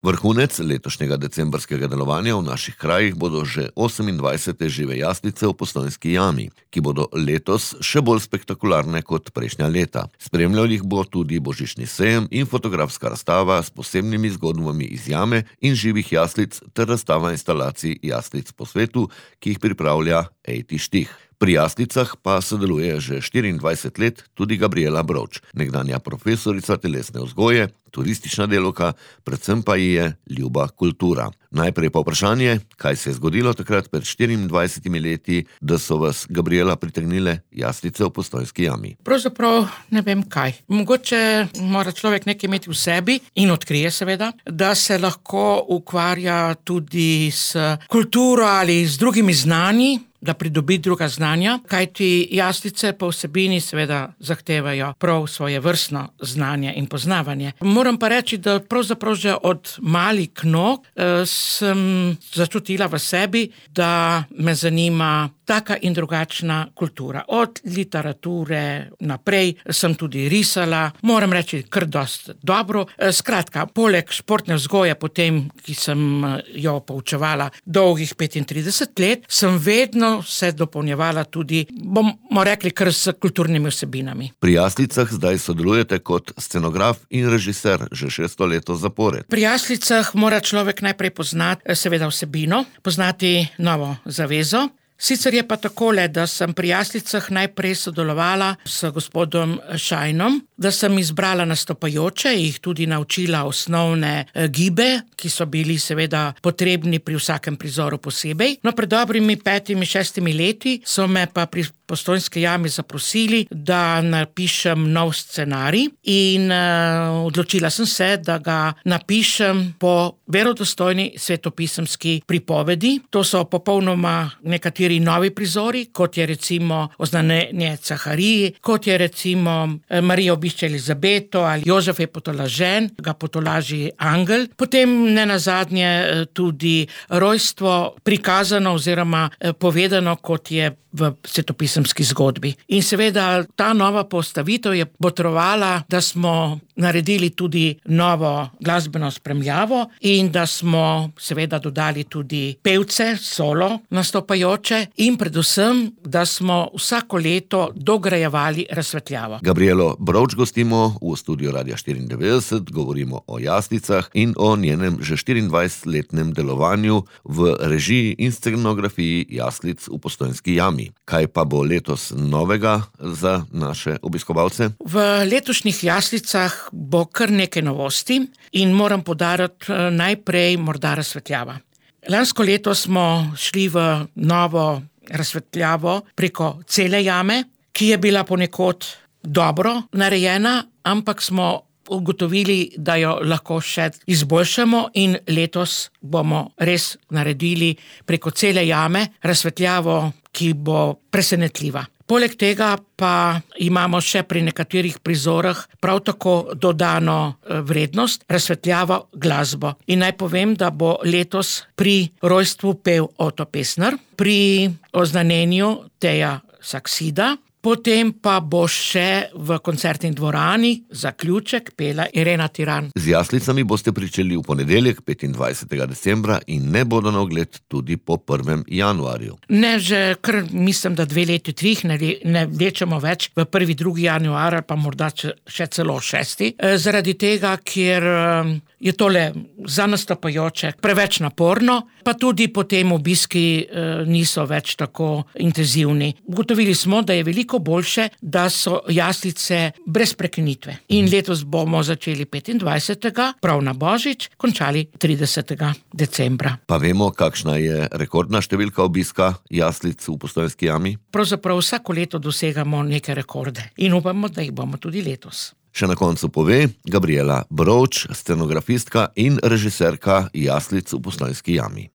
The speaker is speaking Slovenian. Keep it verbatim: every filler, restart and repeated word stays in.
Vrhunec letošnjega decembrskega delovanja v naših krajih bodo že osemindvajsete žive jaslice v Postojnski jami, ki bodo letos še bolj spektakularne kot prejšnja leta. Spremljal jih bo tudi božični sejem in fotografska razstava s posebnimi zgodbami iz jame in živih jaslic ter razstava instalacij jaslic po svetu, ki jih pripravlja Ejti Štih. Pri jaslicah pa sodeluje že štiriindvajset let tudi Gabriela Brovč, nekdanja profesorica telesne vzgoje, turistična delavka, predvsem pa ji je ljuba kultura. Najprej pa vprašanje, kaj se je zgodilo takrat pred štiriindvajsetimi leti, da so vas, Gabriela, pritegnile jaslice v Postojnski jami. Pravzaprav ne vem kaj. Mogoče mora človek nekaj imeti v sebi in odkrije seveda, da se lahko ukvarja tudi s kulturo ali z drugimi znanji, da pridobi druga znanja, kajti jaslice po vsebini seveda zahtevajo prav svoje vrstno znanje in poznavanje. Moram pa reči, da pravzaprav že od malih nog eh, sem začutila v sebi, da me zanima taka in drugačna kultura. Od literature naprej sem tudi risala, moram reči kar dosti dobro. Skratka, poleg športne vzgoje potem, ki sem jo poučevala dolgih petintrideset let, sem vedno se dopolnjevala tudi, bomo rekli, kar s kulturnimi vsebinami. Pri jaslicah zdaj sodelujete kot scenograf in režiser že šesto leto zapored. Pri jaslicah mora človek najprej poznati seveda vsebino, poznati novo zavezo. Sicer je pa takole, da sem pri jaslicah najprej sodelovala s gospodom Šajnom, da sem izbrala nastopajoče, jih tudi naučila osnovne gibe, ki so bili seveda potrebni pri vsakem prizoru posebej. No, pred dobrimi petimi, šestimi leti so me pa pri Postojnski jami zaprosili, da napišem nov scenarij in uh, odločila sem se, da ga napišem po verodostojni svetopisemski pripovedi. To so popolnoma nekateri novi prizori, kot je recimo Oznanjenje Cahariji, kot je recimo Marija obišče Elizabeto ali Jožef je potolažen, ga potolaži angel. Potem nenazadnje tudi rojstvo prikazano oziroma povedano, kot je v svetopisemski zgodbi. In seveda ta nova postavitev je potrebovala, da smo naredili tudi novo glasbeno spremljavo in da smo seveda dodali tudi pevce, solo nastopajoče in predvsem, da smo vsako leto dograjevali razsvetljavo. Gabrielo Brovč gostimo v studiu Radia štiriindevetdeset, govorimo o jaslicah in o njenem že štiriindvajsetletnem delovanju v režiji in scenografiji jaslic v Postojnski jami. Kaj pa bo letos novega za naše obiskovalce? V letošnjih jaslicah bo kar nekaj novosti in moram poudariti najprej morda razsvetljava. Lansko leto smo šli v novo razsvetljavo preko cele jame, ki je bila ponekod dobro narejena, ampak smo ugotovili, da jo lahko še izboljšamo in letos bomo res naredili preko cele jame razsvetljavo, ki bo presenetljiva. Poleg tega pa imamo še pri nekaterih prizorih prav tako dodano vrednost, razsvetljavo glasbo. In naj povem, da bo letos pri rojstvu pel Oto Pestner, pri oznanjenju Teja Saksida, potem pa bo še v koncertni dvorani zaključek pela Irena Tiran. Z jaslicami boste pričeli v ponedeljek, petindvajsetega decembra in ne bodo na ogled tudi po prvem januarju. Ne, že kar mislim, da dve leti, trih ne, ne vlečemo več v prvi, drugi januar ali pa morda še celo šesti. Zaradi tega, ker je tole za nastopajoče preveč naporno, pa tudi potem obiski niso več tako intenzivni. Ugotovili smo, da je veliko boljše, da so jaslice brez prekinitve. In letos bomo začeli petindvajsetega, prav na Božič, končali tridesetega decembra. Pa vemo, kakšna je rekordna številka obiska jaslic v Postojnski jami? Pravzaprav vsako leto dosegamo neke rekorde in upamo, da jih bomo tudi letos. Še na koncu pove Gabriela Brovč, scenografistka in režiserka jaslic v Postojnski jami.